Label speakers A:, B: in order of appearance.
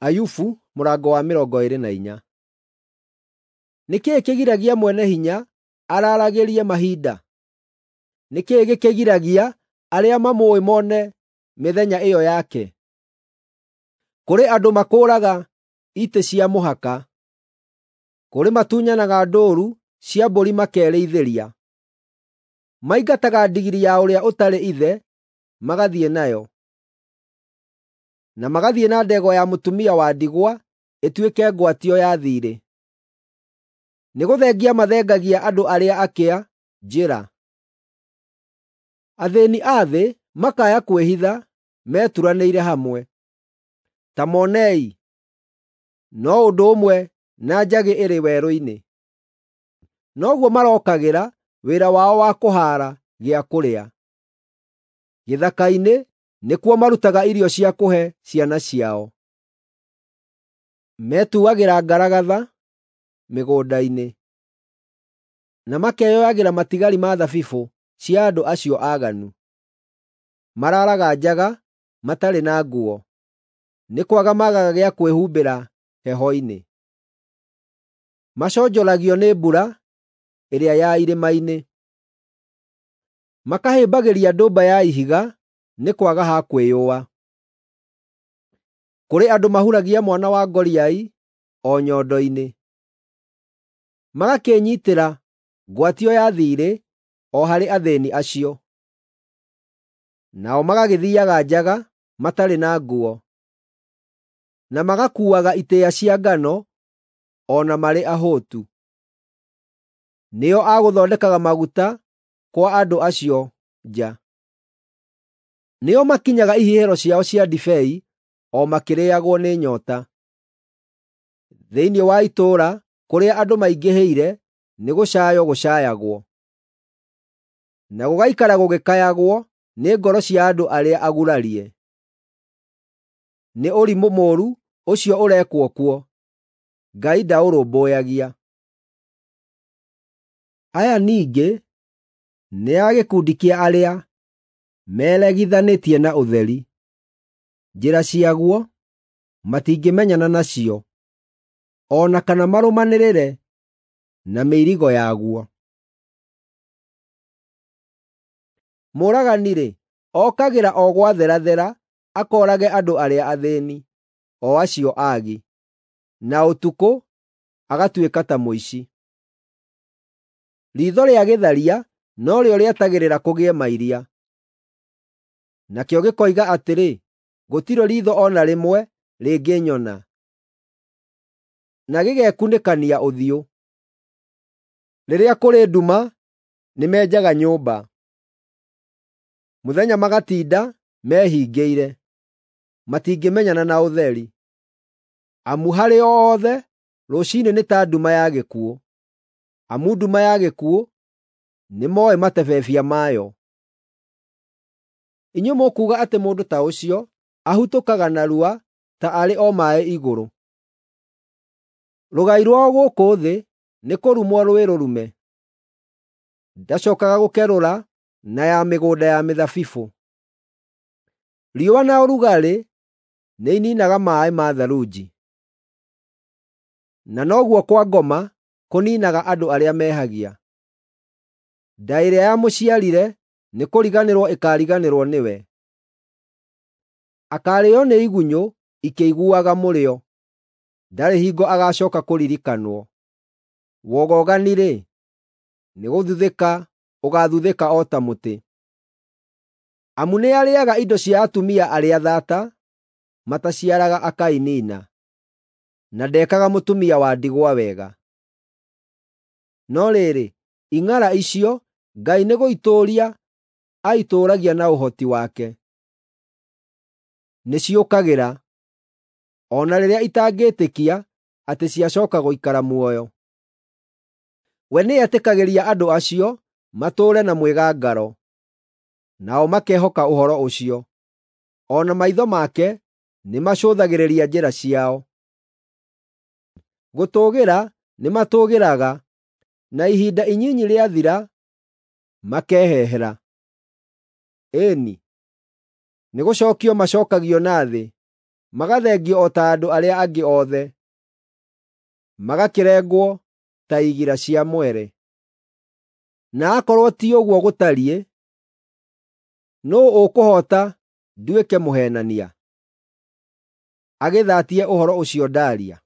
A: Ayubu mũrango wa 24. Nĩ kĩĩ kĩgiragia Mwene-Hinya araaragĩrie mahinda? Nĩ kĩĩ gĩkĩgiragia arĩa mamũũĩ mone mĩthenya ĩyo yake? Kũrĩ andũ makũũraga itĩ cia mũhaka, kũrĩ matunyanaga ndũũru cia mbũri makerĩithĩria. Maingataga ndigiri ya ũrĩa ũtarĩ ithe magathiĩ nayo, na magathiĩ na ndegwa ya mũtumia wa ndigwa ĩtuĩke ngwatio ya thiirĩ. Nĩgũthengia mathengagia andũ arĩa akĩa njĩra. Athĩĩni a thĩ makaya kwĩhitha meturanĩire hamwe. Ta monei, no ũndũ ũmwe na njagĩ ĩrĩ werũ-inĩ. Noguo marokagĩra wĩra wao wa kũhaara gĩa kũrĩa. Gĩthaka-inĩ nĩkuo marutaga irio cia kũhe ciana ciao. Metuagĩra ngaragatha mĩgũnda-inĩ, na makeyoyagĩra matigari ma thabibũ cia andũ acio aaganu. Maraaraga njaga matarĩ na nguo, nĩ kwaga maagaga gĩa kwĩhumbĩra heho-inĩ. Maconjoragio nĩ mbura ĩrĩa ya irĩma-inĩ, makahĩmbagĩria ndũmba ya ihiga nĩ kwaga ha kwĩyũa. Kũrĩ andũ mahuragia mwana wa ngoriai o nyondo-inĩ, magakĩĩnyiitĩra ngwatio ya thiirĩ o harĩ athĩĩni acio. Nao magagĩthiiaga njaga matarĩ na nguo, na magakuuaga itĩĩa cia ngano o na marĩ ahũtu. Nĩo a gũthondekaga maguta kwa andũ acio nja. Nĩo makinyaga ihihĩro ciao cia ndibei o makĩrĩĩagwo nĩ nyoota. Thĩinĩ wa itũũra kũrĩa andũ maingĩhĩire nĩgũcaaywo gũcaayagwo, na gũgaikara gũgĩkayagwo nĩ ngoro cia andũ arĩa agurarie. Nĩ ũrimũ mũũru ũcio ũrekwo kuo, Ngai ndaũrũmbũyagia. Aya ningĩ nĩ a gĩkundi kĩa arĩa meregithanĩtie na ũtheri. Njĩra ciaguo matingĩmenyana nacio, o na kana marũmanĩrĩre na mĩirigo yaguo. Mũũragani-rĩ, okagĩra o gwatherathera akoorage andũ arĩa athĩĩni, o acio aagi, na ũtukũ agatuĩka ta mũici. Riitho rĩa gĩtharia norĩo rĩetagĩrĩra kũgĩe mairia. Nakĩo gĩkoiga atĩrĩ, ‘Gũtirĩ riitho o na rĩmwe rĩngĩnyona,’ na gĩgekunĩkania ũthiũ. Rĩrĩa kũrĩ nduma nĩmenjaga nyũmba, mũthenya magatinda mehingĩire, matingĩmenyana na ũtheri. Amu harĩ o othe rũciinĩ nĩ ta nduma ya gĩkuũ, amu nduma ya gĩkuũ nĩmooĩ matebebia mayo. Inyuĩ mũkuuga atĩ mũndũ ta ũcio ahutũkaga narua ta arĩ o maaĩ igũrũ. Rũgai rwao gũkũ thĩ nĩkũrumwo rwĩ rũrume. Ndacookaga gũkerũra na ya mĩgũnda ya mĩthabibũ. Riũa na ũrugarĩ nĩiniinaga maaĩ ma tharunji, na noguo kwa ngoma kũniinaga andũ arĩa mehagia. Nda ĩrĩa yamũciarire nĩkũriganĩrwo ĩkaariganĩrwo nĩwe. Akaarĩĩo nĩ igunyũ ikĩiguaga mũrĩo, ndarĩ hingo agacooka kũririkanwo. Wogogani-rĩ, nĩgũthuthĩka ũgaathuthĩka o ta mũtĩ. Amu nĩarĩĩaga indo cia atumia arĩa thaata, mataciaraga akainiina, na ndekaga mũtumia wa ndigwa wega. No rĩrĩ, ing'ara icio Ngai nĩgũitũũria aitũũragia na ũhoti wake. Nĩciũkagĩra, o na rĩrĩa itangĩĩtĩkia atĩ ciacooka gũikara muoyo. We nĩetĩkagĩria andũ acio matũũre na mwĩgangaro, nao makehoka ũhoro ũcio. O na maitho make nĩmacũthagĩrĩria njĩra ciao. Gũtũũgĩra nĩmatũũgĩraga, na ihinda inyinyi rĩathira makehehera. Ĩĩ-ni, nĩgũcookio macookagio na thĩ, Magathengio o ta andũ arĩa angĩ othe, magakĩrengwo ta igira cia mwere. Na akorwo ti ũguo gũtariĩ, nũũ ũkũhoota nduĩke mũheenania, agĩthaatie ũhoro ũcio ndaaria?